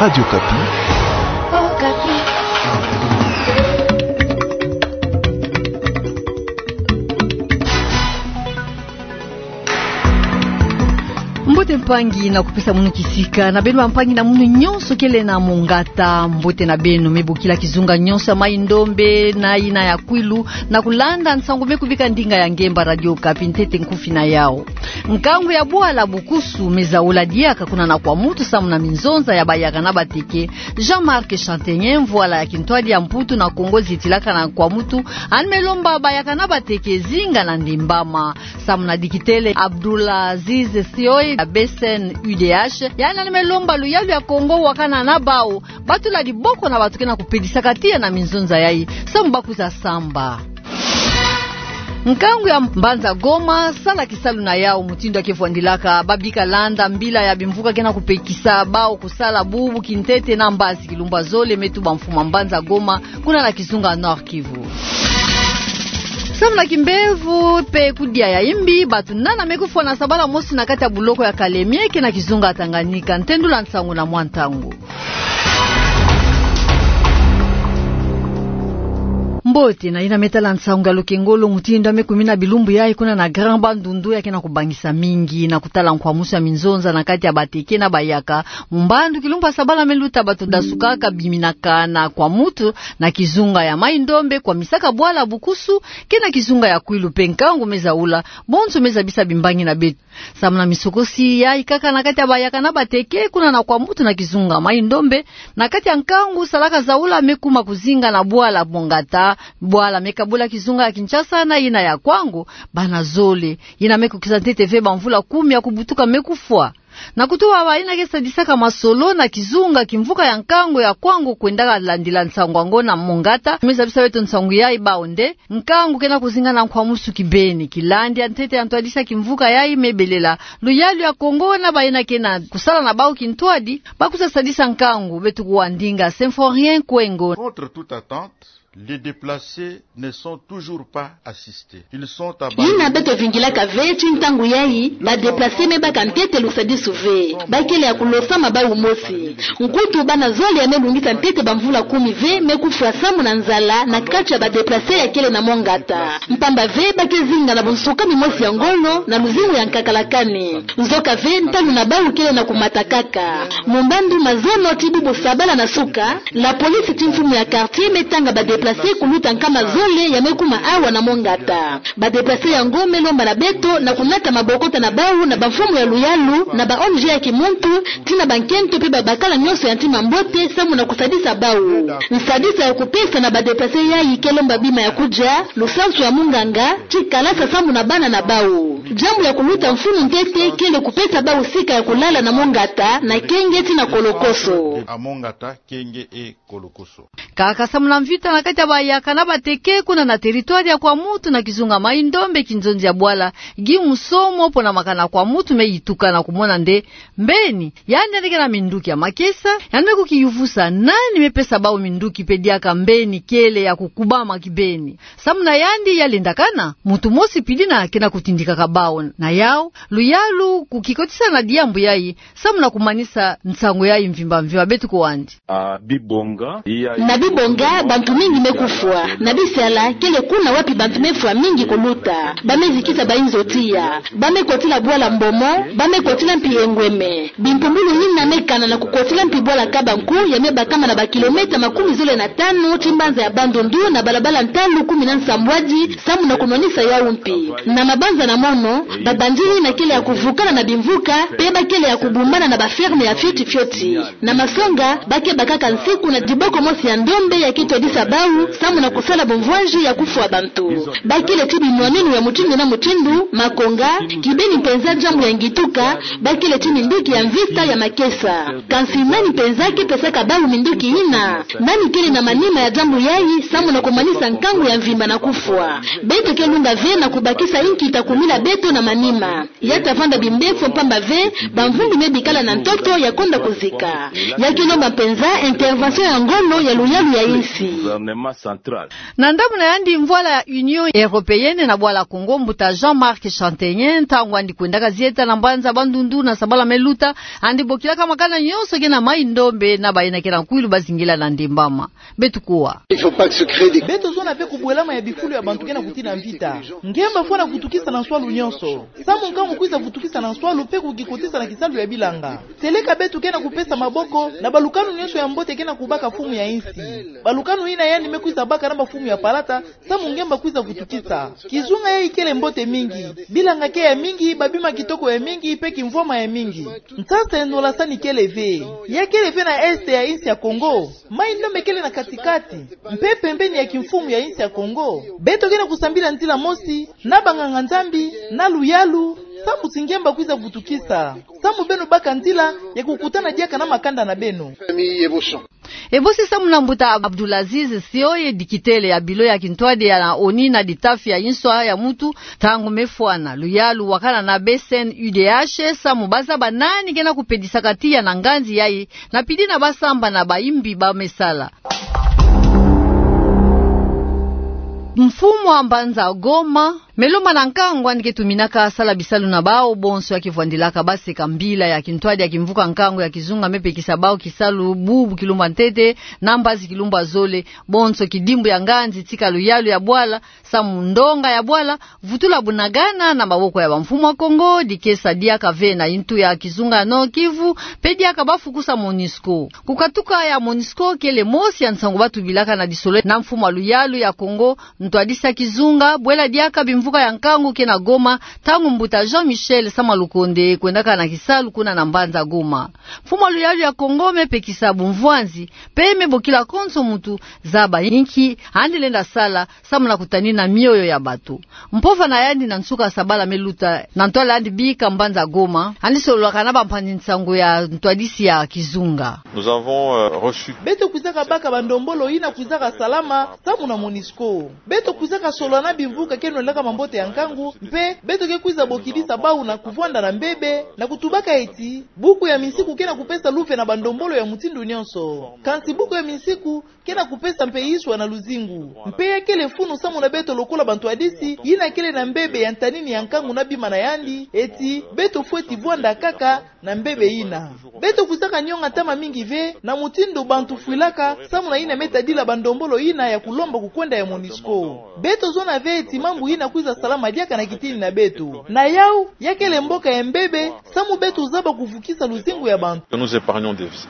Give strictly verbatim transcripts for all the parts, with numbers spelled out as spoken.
Radio Okapi. Okapi. Mbote mpangi na kupesa munu kisika, na beno bampangi na munu nyonso kele na mongata, mbote na beno. Me bokila kizunga nyonso ya Mai-Ndombe na yina ya Kwilu, na kulanda nsangu me kubika ndinga ya ngemba Radio Okapi, ntete nkufi na yawu. Nkangu ya bwala bukusu me zaula diaka kuna na Kwamutu samu na minzonza ya bayaka na bateke. Jean-Marc Chantegnen, mvwala ya kintwadi ya Mputu na Kongo zitilaka na Kwamutu, yandi me lomba bayaka na bateke zinga na ndimbama. Samu na dikitele Abdoulaziz Sioy ya B C N U D H, yandi me lomba luyalu ya Kongo wakana na bawu, batula diboko na bato ke na kupedisaka tiya na minzonza yayi, samu bakwiza samba. Nkangu ya mbanza Goma sala kisalu na yawu mutindu ya ke vwandilaka. Babika landa mbila ya bimvuka ke na kupekisa bawu kusala bubu kintete na mbazi kilumbu ya zole me tuba mfumu ya mbanza Goma, kuna na kizunga Nord-Kivu. Samu na kimbevo pe kudia ya imbi, bato nana me kufwa na sabala mosi na kati ya buloko ya Kalemie, ke na kizunga Tanganyika. Ntendula nsangu na mwa ntangu. Mbote, na yina me tala nsangu ya lukengolo, mutindu ya me kumina bilumbu yayi kuna na Grand Bandundu ya ke na kubangisa mingi na kutala nkwamusu ya minzonza na kati ya bateke na bayaka. Mumbandu kilumbu ya sabala me luta, bato dasukaka biminaka na Kwamutu na kizunga ya Mai-Ndombe, kwamisaka bwala bukusu, ke na kizunga ya Kwilu pe nkangu me zaula, bonso me zabisa bimbangi na beto. Samu na misokosi yayi kaka na kati ya bayaka na bateke kuna na Kwamutu na kizunga Mai-Ndombe, na kati ya nkangu salaka zaula me kuma kuzinga na bwala Mongata, bwala me kabula kizunga ya Kinshasa na yina ya Kwango, bana zole, yina me kukisa ntete ve bamvula kumi ya kubutuka me kufwa. Na kutuba bayina ke sadisaka masolo na kizunga kimvuka ya nkangu ya Kwango kwendaka landila nsangu yango na Mongata, me zabisa beto nsangu yayi bawu nde, nkangu ke na kuzinga na nkwamusu kibeni. Kilandi ya ntete ya ntwadisi ya kimvuka yayi me belela luyalu ya Kongo na bayina ke na kusala na bawu kintwadi, bakwiza sadisa nkangu. Beto kuwa ndinga Symphorien Kwengo. Contre toute attente, les déplacés ne sont toujours pas assistés. Ils sont à Bandundu. Yina beto vingilaka ve ti ntangu yayi, ba déplacés me baka ntete lusadisu ve. Bakele ya kulosama bawu mosi. Nkutu bana zole ya me lungisa ntete bamvula kumi ve me kufwa samu na nzala na kati ya ba déplacés ya kele na Mongata. Mpamba ve ba ke zinga na bunsukami mosi ya ngolo na luzingu ya nkakala kani. Nzoka ve ntalu na bawu kele na kumata kaka. Mumbandu mazono ti bubu sabala na suka, la police ti mfumu ya quartier me tanga ba déplacés kuluta nkama zole ya me kuma awa na Mongata. Ba déplacés yango me lomba na beto na kunata mabokota na bawu na bamfumu ya luyalu, na ba O N G ya kimuntu, ti na bankento pe babakala nyonso ya ntima mbote samu na kusadisa bawu. Nsadisa ya kupesa na ba déplacés yayi ke lomba bima ya kudia, lusansu ya munganga, ti kalasa samu na bana na bawu. Diambu ya kuluta mfunu ntete kele kupesa bawu sika ya kulala na Mongata, na Kenge ti na Kolokoso. À Mongata, Kenge et Kolokoso. Kaka samu na mvita na kati ya bayaka na bateke kuna na territoire ya Kwamutu na kizunga Mai-Ndombe, kinzonzi ya bwala Guy Musomo, pona makana Kwamutu me yituka na kumona nde mbeni yandi, yandi ke na minduki ya makesa, yandi me kukiyuvusa nani me pesa bawu minduki pe diaka mbeni kele ya kukubama kibeni. Samu na yandi, ya lendakana muntu mosi pili na ke na kutindikaka bawu. Na yawu, luyalu kukikotisa na diambu yayi, samu na kumanisa nsangu yayi mvimba mvimba, beto kuwa ndi. Ah, bibonga, iya, na bibonga, bantu mingi me kufwa, na bisala kele kuna wapi bantu me fwa mingi kuluta. Ba me zikisa bayinzo tiya. Ba me kotila bwala Mbomo, ba me kotila mpi Engweme. Bimpumbulu yina me kana na kukotila mpi bwala Kabanku, ya me bakama na ba kilomètre makumi zole na tanu ti mbanza ya Bandundu na balabala ntalu kumi na nsambwadi, samu na kunwanisa yawu mpi. Na mabanza na mono, ba bandits yina kele ya kuvukana na bimvuka, pe ba kele ya kubumbana na ba ferme ya fioti fioti. Na masonga, ba ke bakaka nsiku na diboko mosi ya ndombe ya ke twadisa bawu, samu na kusala bumvwanzi ya kufwa bantu. Ba kele ti binwaninu ya mutindu na mutindu, makonga, kibeni mpenza diambu ya ngituka, ba kele ti minduki ya mvita ya makesa. Kansi nani mpenza ke pesaka bawu minduki yina? Nani kele na manima ya diambu yayi, samu na kumanisa nkangu ya mvimba na kufwa? Beto ke lunga ve na kubakisa yinkita kumila beto na manima. Ya ta vanda bimbefo mpamba ve, bamvumbi me bikala na ntoto ya konda kuzika. Ya ke lomba mpenza intervention ya ngolo ya luyalu ya yinsi. Na ndambu na yandi mvwala ya Union Européenne na bwala Kongo, mbuta Jean-Marc Chantegnen, ntangu yandi kwendaka zieta na mbanza Bandundu na sabala me luta, yandi bokilaka makala Na nyonso ke na mai ndombe na bayina ke na kwilu bazingila na ndembama. Beto kuwa. Il faut pas que se créer des... Beto zona mpe kubwelama ya bifulu ya bantu ke na kutina mvita. Ngemba fwana vutukisa na nswalu nyonso. Samu nkangu kwiza vutukisa na nswalu mpe kukikotisa na kisalu ya bilanga. Seleka beto ke na kupesa maboko na balukanu nyonso ya mbote ke na kubaka mfumu ya insi. Balukanu yina yandi me kwiza baka na bamfumu ya palata, samu ngemba kwiza vutukisa. Kizunga yayi kele mbote mingi. Bilanga ke ya mingi, babima kitoko ya mingi, mpe kimvwama ya mingi. Nsasa ya nolasani kele ve. Ya kele ve na est ya insi ya Kongo. Mai ndombe kele na katikati. Mpe pembeni ya kimfumu ya insi ya Kongo. Beto ke na kusambila nzila mosi, na banganga-Nzambi, na luyalu, samu ti ngemba kwiza vutukisa. Samu beno baka nzila ya kukutana diaka na makanda na beno. Famille Eboson. Ebosi samu na mbuta Abdulaziz Sioye, dikitele ya bilo ya kintwadi ya na ONU na ditafi ya inswa ya mutu, ntangu me fwana luyalu wakana na B C N U D H, samu bazaba nani ke na kupedisaka tiya na nganzi yayi, na pidi na basamba na bayimbi ba me sala. Mfumu wa mbanza Goma me lomba na nkangu yandi ke tuminaka sala bisalu na bawu bonso ya ke vwandilaka baseka mbila ya kintwadi ya kimvuka nkangu ya kizunga me pekisa bawu kisalu bubu kilumbu ya ntete, na mbazi kilumbu ya zole, bonso kidimbu ya nganzi tika luyalu ya bwala, samu ndonga ya bwala, vutula bunagana na maboko ya bamfumu ya Kongo, dikesa diaka ve na yintu ya kizunga ya Nord-Kivu, mpe diaka bafukusa MONUSCO. Kukatuka ya MONUSCO kele mosi ya nsangu batubilaka na disolo na mfumu wa luyalu ya Kongo, ntwadisi ya kizunga, bwela diaka bimvuka ya nkangu ke na Goma, ntangu mbuta Jean-Michel Sama Lukonde kwendaka na kisalu kuna na mbanza Goma. Mfumu wa luyalu ya Kongo me pekisa bumvwanzi, mpe me bokila konso mutu zaba inki yandi lenda sala, samu na kutanina mioyo ya bato. Mpova na yandi na nsuka sabala me luta, na ntwala yandi bika mbanza Goma, yandi sololaka na bampanzi nsangu ya ntwadisi ya kizunga. Nous avons, euh, reçu. Beto kwizaka baka bandombolo yina kwizaka salama samu na MONUSCO. Beto kwizaka solola na bimvuka ke nwelaka mambote ya nkangu, mpe beto ke kwiza bokidisa bawu na kuvwanda na mbebe, na kutubaka eti buku ya minsiku ke na kupesa luve na bandombolo ya mutindu nyonso. Kansi buku ya minsiku ke na kupesa mpe iswa na luzingu. Mpe ya kele funu samu na beto lokola bantwadisi yina kele na mbebe ya ntanini ya nkangu na bima na yandi, eti beto fweti vwanda kaka na mbebe yina. Beto kwizaka nyonga ntama mingi ve na mutindu bantu fwilaka samu na yina me tadila bandombolo yina ya kulomba kukwenda ya MONUSCO. Beto zona ve eti mambu yina kwiza salama diaka na kitini na beto. Na yawu, ya kele mboka ya mbebe, samu beto zaba kuvukisa luzingu ya bantu. Que nous épargnons des vies.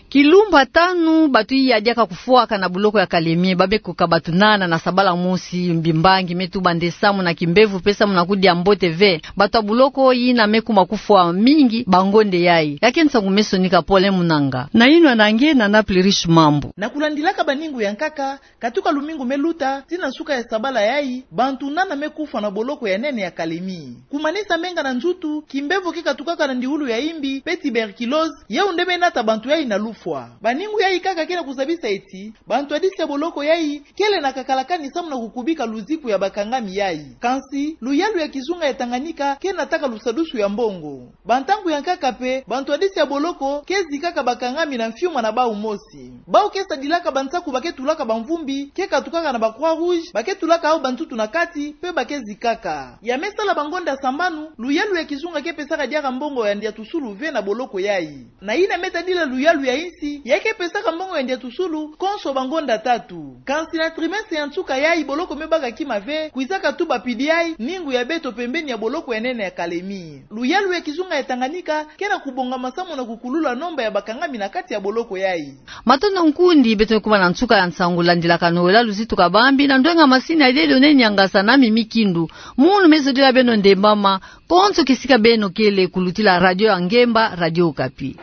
Kilumbu ya tanu, bato iya diaka kufwaka na boloko ya Kalemie, ba me kuka bato nana na sabala mosi, mbimbangi me tuba nde samu na kimbevo mpe samu na kudia mbote ve. Bato ya boloko yina me kuma kufwa mingi bangonde yayi. Ya ke nsangu me sonika Paulin Munanga. Na yinwa na nge na Naples Riche Mambu. Na kulandilaka baningu ya nkaka, katuka lumingu me luta, tii na nsuka ya sabala yayi, bantu nana me kufwa na boloko ya nene ya Kalemie. Kumanisa menga na nzutu, kimbevo ke katukaka na ndiulu ya imbi, mpe tuberculose, yawu nde me nata bantu yayi na lufwa. Baningu yayi nkaka ke na kuzabisa eti, bantwadisi ya boloko yayi kele na kakalakani samu na kukubika luziku ya bakangami yayi. Kansi, luyalu ya kizunga ya Tanganyika ke nataka lusadusu ya mbongo. Bantangu ya nkaka mpe, bantwadisi ya boloko ke zikaka bakangami na mfiuma na bawu mosi. Bawu ke sadilaka bansaku ba ke tulaka bamvumbi, ke katukaka na ba Croix-Rouge, ba ke tulaka yawu bantutu na kati, mpe ba ke zikaka. Ya me sala bangonda sambanu, luyalu ya kizunga ke pesaka diaka mbongo ya ndiatusulu ve na boloko yayi. Na yina me tadila luyalu ya insi, ya ke pesaka mbongo ya ndiatusulu konso bangonda tatu. Kansi na trimestre ya nsuka yayi boloko me baka kima ve, kwizaka tuba pidi yayi ningu ya beto pembeni ya boloko ya nene ya Kalemie. Luyalu ya kizunga ya Tanganyika ke na kubongama samu na kukulula nomba ya bakangami na kati ya boloko yayi. Matondo nkundi, beto me kuma na nsuka ya nsangu landilaka nola luzitu kabambi na ndwenga masini ya Dieudonné Niangasa na Mimi Kindu. Munu me zodila beno nde mama, konso kisika beno kele kulutila radio ya ngemba, Radio Okapi.